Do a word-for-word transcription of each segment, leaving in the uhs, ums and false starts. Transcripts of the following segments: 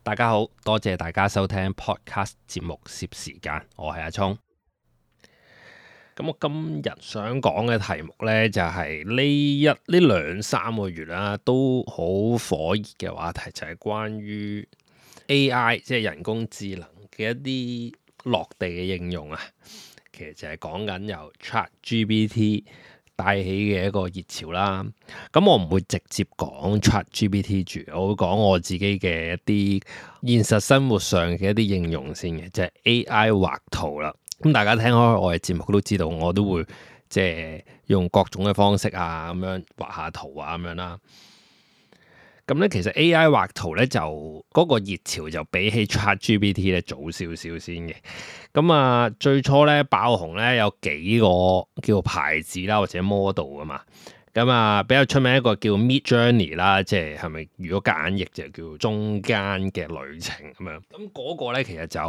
大家好，多謝大家收聽 Podcast 節目攝時間，我係阿聰。咁我今日想講嘅題目呢，就係、是、呢一呢兩三個月啦，都好火熱嘅話題，就係、是、關於 A I 即係人工智能嘅一啲落地嘅應用啊。其實就係講緊由 ChatGPT 帶起嘅一個熱潮啦。咁我唔會直接講 ChatGPT 住，我會講我自己嘅一啲現實生活上嘅一啲應用先嘅，就係、是、A I 畫圖啦。咁大家聽開我嘅節目都知道，我都會即係用各種嘅方式啊，咁樣畫下圖啊，咁樣啦。咁咧，其實 A I 畫圖咧就嗰、那個熱潮就比起 ChatGPT 咧早少少先嘅。咁啊，最初咧爆紅咧有幾個叫牌子啦，或者 model 啊嘛。咁啊，比較出名一個叫 Midjourney 啦，即係係咪如果夾硬譯就叫中間嘅旅程咁樣。咁嗰個咧其實就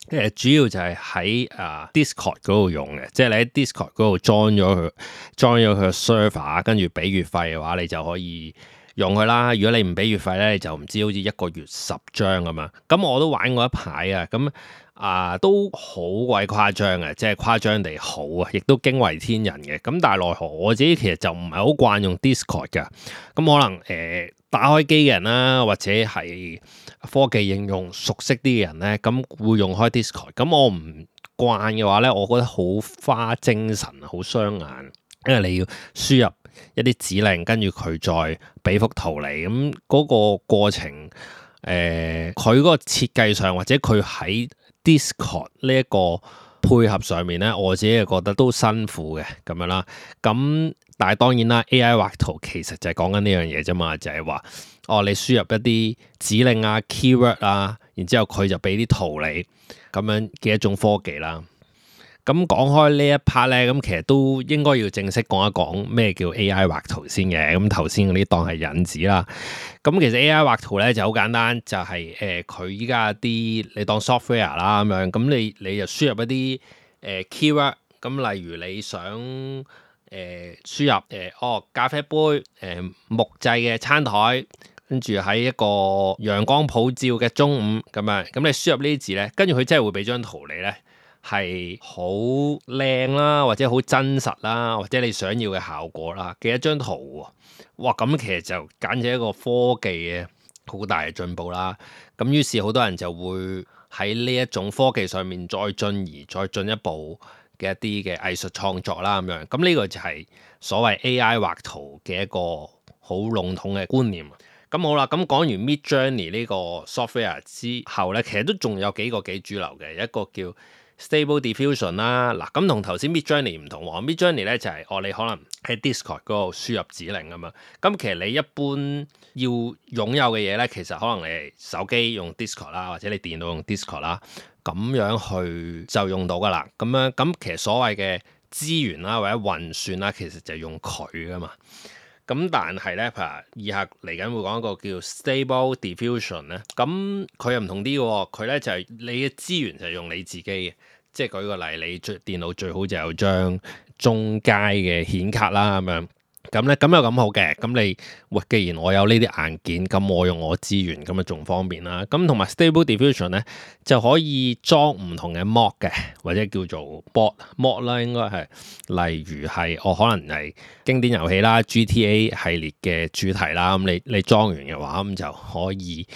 誒主要就係喺啊 Discord 嗰度用嘅，即係你喺 Discord 嗰度裝咗佢，裝咗佢個 server，跟住俾月費嘅話，你就可以用佢啦。如果你唔俾月費咧，你就唔知好似一個月十張咁樣。咁我都玩過一排啊，咁啊都好鬼誇張嘅，即係誇張地好啊，亦都驚為天人嘅。咁但係奈何我自己其實就唔係好慣用 Discord 㗎。咁可能誒、呃、打開機嘅人啦，或者係科技應用熟悉啲嘅人咧，咁會用開 Discord。咁我唔慣嘅話咧，我覺得好花精神，好傷眼，因為你要輸入一啲指令，跟住佢再俾幅圖嚟，咁嗰個過程，誒佢嗰個設計上或者佢喺 Discord 呢一個配合上面咧，我自己係覺得都辛苦嘅咁樣啦。咁但係當然啦 ，A I 畫圖其實就係講緊呢樣嘢啫嘛，就係話哦，你輸入一啲指令啊、keyword 啊，然之後佢就俾啲圖你咁樣嘅一種科技啦。咁講開呢一 part 咧，咁其實都應該要正式講一講咩叫 A I 畫圖先嘅。咁頭先嗰啲當係引子啦。咁其實 A I 畫圖咧就好簡單，就係誒佢依家啲你當 software 啦咁樣，咁你你就輸入一啲誒、呃、keyword，咁例如你想誒、呃、輸入誒、呃、哦咖啡杯誒、呃、木製嘅餐台，跟住喺一個陽光普照嘅中午咁樣，咁你輸入呢啲字咧，跟住佢真係會俾張圖你咧。係好靚啦，或者好真實啦，或者你想要嘅效果啦嘅一張圖喎，哇！咁其實就簡直係一個科技嘅好大嘅進步啦。咁於是好多人就會喺呢一種科技上面再進而再進一步嘅一啲嘅藝術創作啦咁樣。咁呢個就係所謂 A I 畫圖嘅一個好籠統嘅觀念。咁好啦，咁講完 Midjourney 呢個 software 之後咧，其實都仲有幾個幾主流嘅，一個叫Stable Diffusion 啦，嗱咁同頭先 Midjourney 唔同喎 Midjourney 咧就係、是、哦你可能喺 Discord 嗰度輸入指令啊嘛，咁其實你一般要擁有嘅嘢咧，其實可能你手機用 Discord 啦，或者你電腦用 Discord 啦，咁樣去就用到噶啦，咁樣咁其實所謂嘅資源啦或者運算啦，其實就係用佢噶嘛。咁但係咧，譬如以下嚟緊會講一個叫 Stable Diffusion 咧，咁佢又唔同啲嘅，佢咧就係、是、你嘅資源就係用你自己嘅，即係舉個例，你最電腦最好就有張中階嘅顯卡啦咁樣。咁咧咁又咁好嘅，咁你喂，既然我有呢啲硬件，咁我用我資源咁啊仲方便啦。咁同埋 Stable Diffusion 咧就可以裝唔同嘅 mod 嘅，或者叫做 bot mod 啦，應該係例如係我、哦、可能係經典遊戲啦 G T A 系列嘅主題啦。咁你你裝完嘅話，咁就可以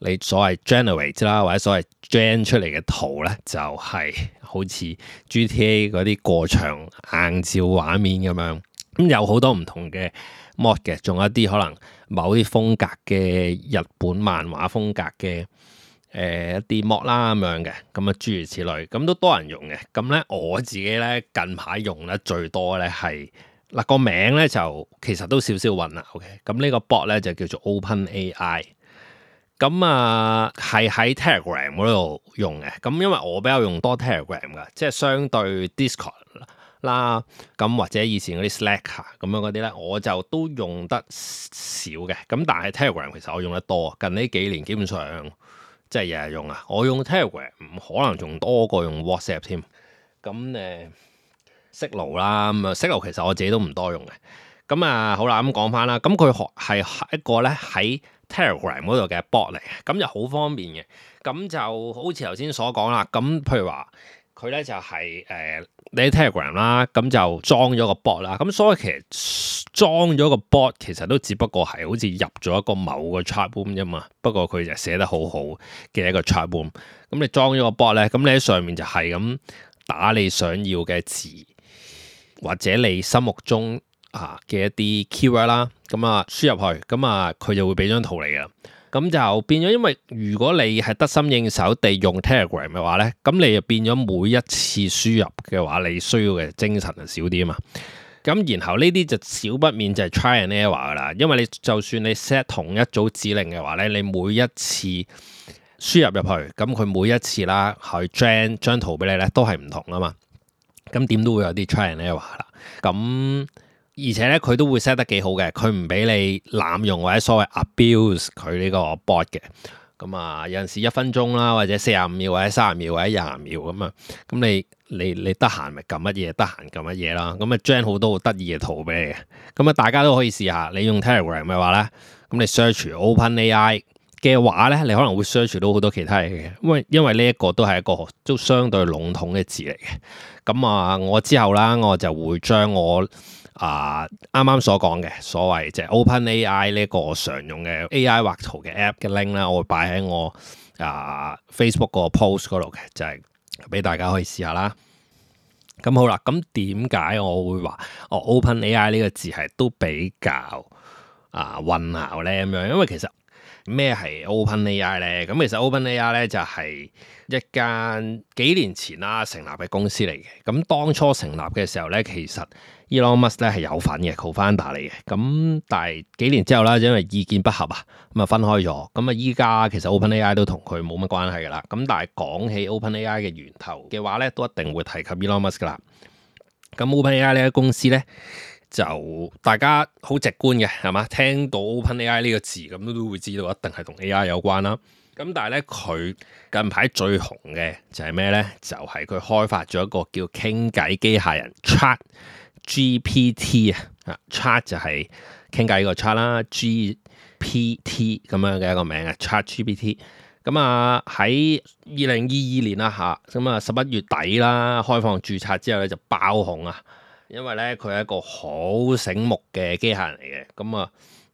你所謂 generate 啦，或者所謂 gen 出嚟嘅圖咧，就係、是、好似 G T A 嗰啲過場硬照畫面咁樣。咁有好多唔同嘅 mod 嘅，仲有一啲可能某啲風格嘅日本漫畫風格嘅誒、呃、一啲 mod 啦咁樣嘅，咁啊諸如此類，咁都多人用嘅。咁咧我自己咧近排用得最多咧係嗱個名咧就其實都少少混啦。OK，咁呢個 bot 咧就叫做 OpenAI，咁啊係喺 Telegram 嗰度用嘅。咁因為我比較用多 Telegram 噶，即係相對 Discord啦，咁或者以前嗰啲 Slack 咁樣嗰啲咧，我就都用得少嘅。咁但係 Telegram 其實我用得多，近呢幾年基本上即係日日用啊。我用 Telegram 可能仲多過用 WhatsApp 添。咁誒 Signal 啦，咁啊 Signal 其實我自己都唔多用嘅。咁啊好啦，咁講翻啦，咁佢學係一個咧喺 Telegram 嗰度嘅 bot 嚟嘅，咁就好方便嘅。咁就好似頭先所講啦，咁譬如話佢咧就係、是、誒、呃、你喺 Telegram 啦，咁就裝咗個 bot 啦。咁所以其實裝咗個 bot 其實都只不過係好似入咗一個某個 chat room 啫嘛。不過佢就寫得好好嘅一個 chat room。咁你裝咗個 bot 咧，咁你喺上面就係咁打你想要嘅字，或者你心目中啊嘅一啲 keyword 啦，咁啊輸入去，咁啊佢就會俾張圖嚟㗎。咁就變咗，因為如果你係得心應手地用 Telegram 嘅話咧，咁你就變咗每一次輸入嘅話，你需要嘅精神就少啲啊嘛。咁然後呢啲就少不免就係 try and error 噶啦，因為你就算你 set 同一組指令嘅話咧，你每一次輸入入去，咁佢每一次啦去 generate 張圖俾你咧都係唔同啊嘛。咁點都會有啲 try and error 啦。咁而且咧，佢都會 set 得幾好嘅，佢唔俾你濫用或者所謂 abuse 佢呢個 bot 嘅。咁啊，有陣時一分鐘啦，或者四十五秒，或者三十秒，或者廿秒咁啊。咁你你你得閒咪撳乜嘢，得閒撳乜嘢啦。咁啊，generate 好多好得意嘅圖俾你嘅。咁啊，大家都可以試下。你用 Telegram 嘅話咧，咁你 search OpenAI 嘅話咧，你可能會 search 到好多其他嘢嘅。因為因為呢一個都係一個都相對籠統嘅字嚟嘅。咁啊，我之後啦，我就會將我啊，啱啱所講嘅所謂即係 OpenAI 呢個常用嘅 A I 畫圖嘅 app 嘅 link 啦，我會擺喺我啊 Facebook 個 post 嗰度嘅，就係、是、俾大家可以試下啦。咁好啦，咁點解我會話哦 OpenAI 呢個字係都比較啊混淆咧咁樣？因為其實咩係 OpenAI 咧？咁其實 OpenAI 咧就係一間幾年前啦成立嘅公司嚟嘅。咁當初成立嘅時候咧，其實Elon Musk 咧係有份嘅 co-founder 嚟嘅，咁但係幾年之後啦，因為意見不合啊，咁啊分開咗，咁啊依家其實 OpenAI 都同佢冇乜關係噶啦，咁但係講起 OpenAI 嘅源頭嘅話咧，都一定會提及 Elon Musk 噶啦。咁 OpenAI 呢間公司咧，就大家好直觀嘅係嘛，聽到 OpenAI 呢個字咁都都會知道一定係同 A I 有關啦。咁但係咧佢近排最紅嘅就係咩咧？就係、是、佢開發咗一個叫傾偈機械人 Chat G P T 啊，Chat 就係傾偈個 Chat 啦 ，G P T 咁樣嘅一個名啊 ，Chat G P T。咁啊喺二零二二年啦嚇，咁啊十一月底啦，開放註冊之後咧就爆紅啊，因為咧佢係一個好醒目嘅機械人嚟嘅。咁啊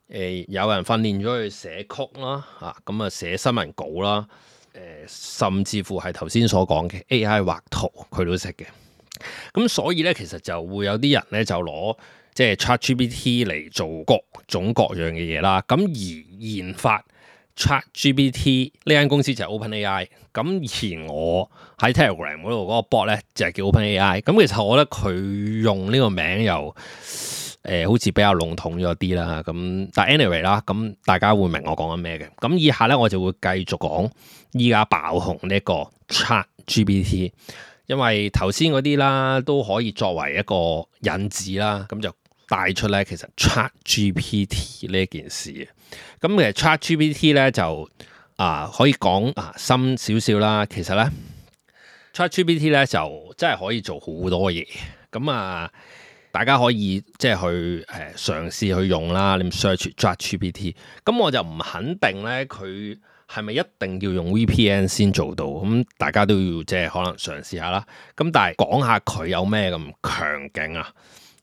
誒有人訓練咗佢寫曲啦，嚇咁啊寫新聞稿啦，誒、呃、甚至乎係頭先所講嘅 A I 畫圖佢都識嘅。咁所以咧，其實就會有啲人咧就攞即係 ChatGPT 嚟做各種各樣嘅嘢啦。咁而研發 ChatGPT 呢間公司就係 OpenAI。咁而我喺 Telegram 嗰度嗰個 bot 咧就係叫 OpenAI。咁其實我覺得佢用呢個名又誒、呃、好似比較籠統咗啲啦。咁但係 anyway 啦，咁大家會明我講緊咩嘅。咁以下咧我就會繼續講依家爆紅呢個 ChatGPT。因為頭先嗰啲啦都可以作為一個引子啦，咁就帶出咧其實 ChatGPT 呢件事嘅。咁其實 ChatGPT 咧就啊可以講啊深少少啦。其實咧 ChatGPT 咧就真係可以做好多嘢。咁啊大家可以即係去誒嘗試去用啦。你 search ChatGPT，咁我就唔肯定咧佢係咪一定要用 V P N 先做到？咁大家都要即係可能嘗試下啦。咁但係講下佢有咩咁強勁啊？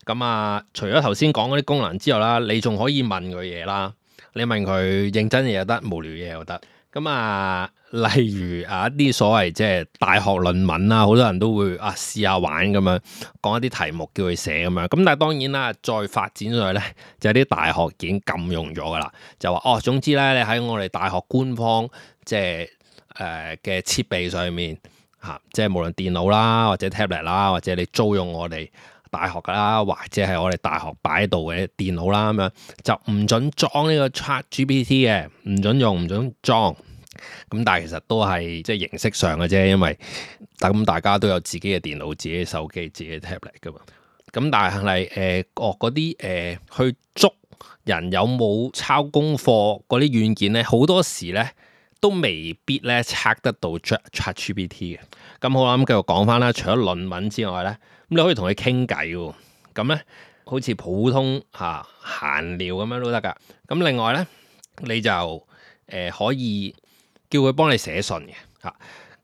咁啊，除咗頭先講嗰啲功能之外啦，你仲可以問佢嘢啦。你問佢認真嘢又得，無聊嘢又得。咁啊，例如啊一啲所謂即係大學論文啦，好多人都會啊試下玩咁樣講一啲題目叫佢寫咁樣。咁但係當然啦，再發展上去咧，就有啲大學已經禁用咗噶啦，就話哦，總之咧，你喺我哋大學官方即係誒嘅設備上面嚇、啊，即係無論電腦啦，或者 tablet 啦，或者你租用我哋大學噶啦，或者係我哋大學擺喺度嘅電腦啦，咁樣就唔準裝呢個 ChatGPT 嘅，唔準用，唔準裝。咁但係其實都係即係形式上嘅啫，因為咁大家都有自己嘅電腦、自己嘅手機、自己嘅 tablet 噶嘛。咁但係誒，哦嗰啲誒去捉人有冇抄功課嗰啲軟件咧，好多時咧都未必咧測得到 ChatGPT 嘅。咁好啦，咁繼續講翻啦。除咗論文之外咧，咁你可以同佢傾偈喎。咁咧好似普通嚇閒聊咁樣都得㗎。咁另外咧，你就誒、呃、可以叫佢幫你寫信嘅嚇。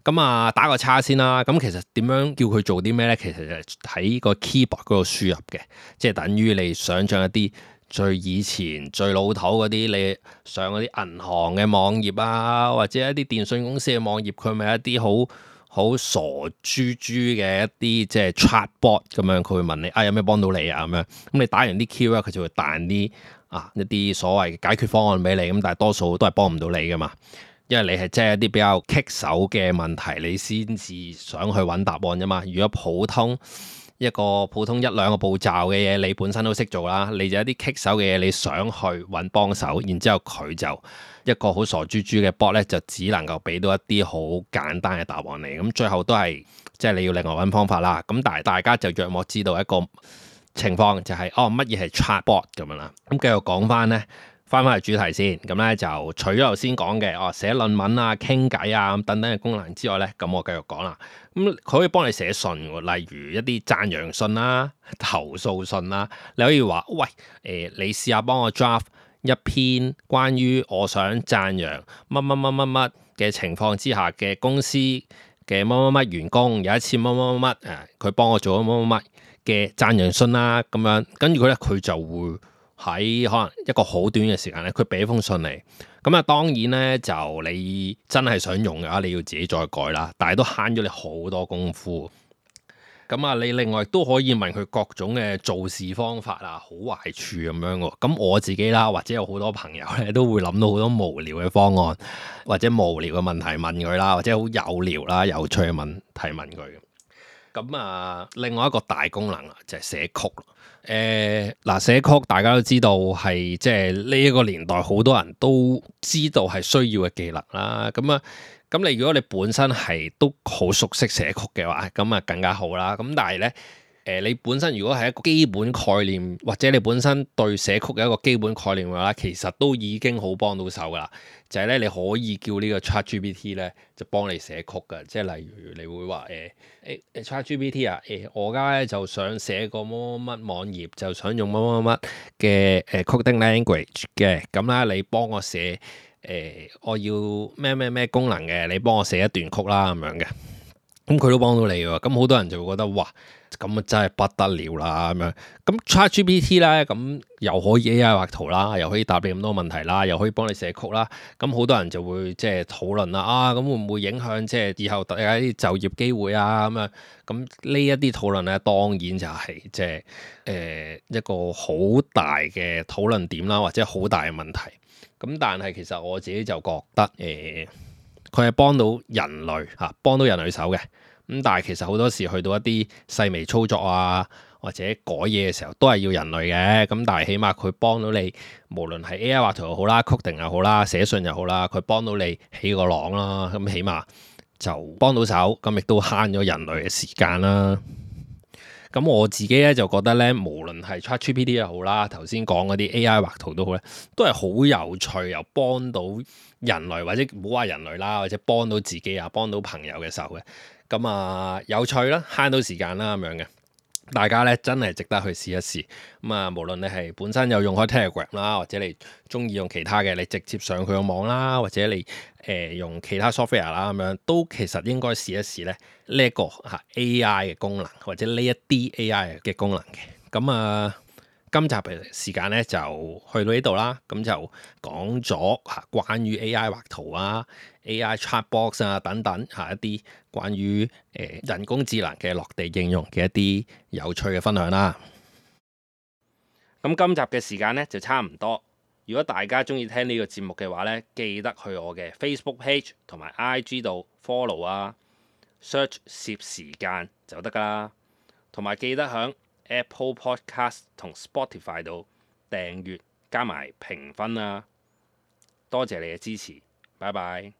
咁啊打個叉先啦。咁其實點樣叫佢做啲咩咧？其實就喺個 keyboard 嗰度輸入嘅，即係等於你想像一啲最以前最老土嗰啲，你上嗰啲銀行嘅網頁啊，或者一啲電信公司嘅網頁，佢咪一啲好好傻豬豬嘅一啲即係 chatbot 咁樣，佢會問你啊有咩幫到你啊咁樣。咁你打完啲 key 咧，佢就會彈啲啊一啲所謂解決方案俾你。咁但係多數都係幫唔到你噶嘛。因為你係即係一啲比較棘手嘅問題，你先至想去揾答案啫嘛。如果普通一個普通一兩個步驟嘅嘢，你本身都識做啦，你就一啲棘手嘅嘢，你想去揾幫手，然之後佢就一個好傻豬豬嘅 bot 咧，就只能夠俾到一啲好簡單嘅答案你。咁最後都係即係你要另外揾方法啦。咁但係大家就約莫知道一個情況就係、是、哦乜嘢係 chatbot 咁樣啦。咁繼續講翻呢。翻返去主題先，咁咧就除咗頭先講嘅哦寫論文啊、傾偈啊咁等等嘅功能之外咧，咁我繼續講啦。咁佢可以幫你寫信喎，例如一啲讚揚信啦、投訴信啦。你可以話喂，誒、呃、你試下幫我 draft 一篇關於我想讚揚乜乜乜乜乜嘅情況之下嘅公司嘅乜乜乜員工有一次乜乜乜乜誒，佢幫我做咗乜乜乜嘅讚揚信啦，咁樣跟住佢咧佢就會。喺可能一個好短嘅時間咧，佢俾封信嚟，咁啊當然咧就你真係想用嘅話，你要自己再改啦，但係都慳咗你好多功夫。咁啊，你另外都可以問佢各種嘅做事方法啊，好壞處咁樣喎。咁我自己啦，或者有好多朋友咧，都會諗到好多無聊嘅方案，或者無聊嘅問題問佢啦，或者好有聊啦、有趣嘅問題問佢。咁啊，另外一個大功能啊，就係寫曲。誒嗱，寫曲大家都知道係即係呢一個年代好多人都知道係需要嘅技能啦。咁啊，咁你如果你本身係都好熟悉寫曲嘅話，咁啊更加好啦。咁但係咧，誒你本身如果係一個基本概念，或者你本身對寫曲嘅一個基本概念嘅話，其實都已經好幫到手噶啦。就係咧，你可以叫呢個 ChatGPT 咧，就幫你寫曲㗎。即係例如你會話誒誒 ChatGPT 啊，誒、欸、我而家咧就想寫個乜乜乜網頁，就想用乜乜乜嘅誒 coding language 嘅。咁咧你幫我寫誒、欸，我要咩咩咩功能嘅，你幫我寫一段曲啦咁樣嘅。咁佢都幫到你喎。咁好多人就會覺得哇，咁啊真係不得了啦咁樣。咁 ChatGPT 咧，咁又可以 A I 畫圖啦，又可以答你咁多問題啦，又可以幫你寫曲啦。咁好多人就會即係討論啦，啊咁會唔會影響即係以後大家啲就業機會啊咁樣？咁呢一啲討論咧，當然就係即係誒一個好大嘅討論點啦，或者好大嘅問題。咁但係其實我自己就覺得誒，佢係幫到人類嚇，幫到人類手嘅。咁但係其實好多時去到一啲細微操作啊，或者改嘢嘅時候，都係要人類嘅。咁但係起碼佢幫到你，無論係 A I 畫圖又好啦，coding又好啦，寫信又好啦，佢幫到你起個朗啦。咁起碼就幫到手，咁亦都慳咗人類嘅時間啦。咁我自己咧就覺得咧，無論係 ChatGPT 又好啦，頭先講嗰啲 A I 畫圖都好咧，都係好有趣，又幫到人類，或者唔好話人類啦，或者幫到自己啊，幫到朋友嘅手嘅。咁啊，有趣啦，慳到時間啦咁樣嘅。大家咧真係值得去試一試。咁啊，無論你係本身有用開 Telegram 啦，或者你中意用其他嘅，你直接上佢個網啦，或者你誒、呃、用其他 software 啦咁樣，都其實應該試一試咧呢一個嚇 A I 嘅功能，或者呢一啲 A I 嘅功能嘅。咁啊，今集嘅時間咧就去到呢度啦。咁就講咗嚇關於 A I 畫圖啊、A I chatbox 啊等等嚇一啲關於誒、呃、人工智能嘅落地應用嘅一啲有趣嘅分享啦。咁今集嘅時間咧就差唔多。如果大家中意聽呢個節目嘅話咧，記得去我嘅 Facebook page 同埋 I G 度 follow 啊 ，search 攝時間就得噶啦。同埋記得響 Apple Podcast 同 Spotify 度訂閱加埋評分啊！多謝你嘅支持，拜拜。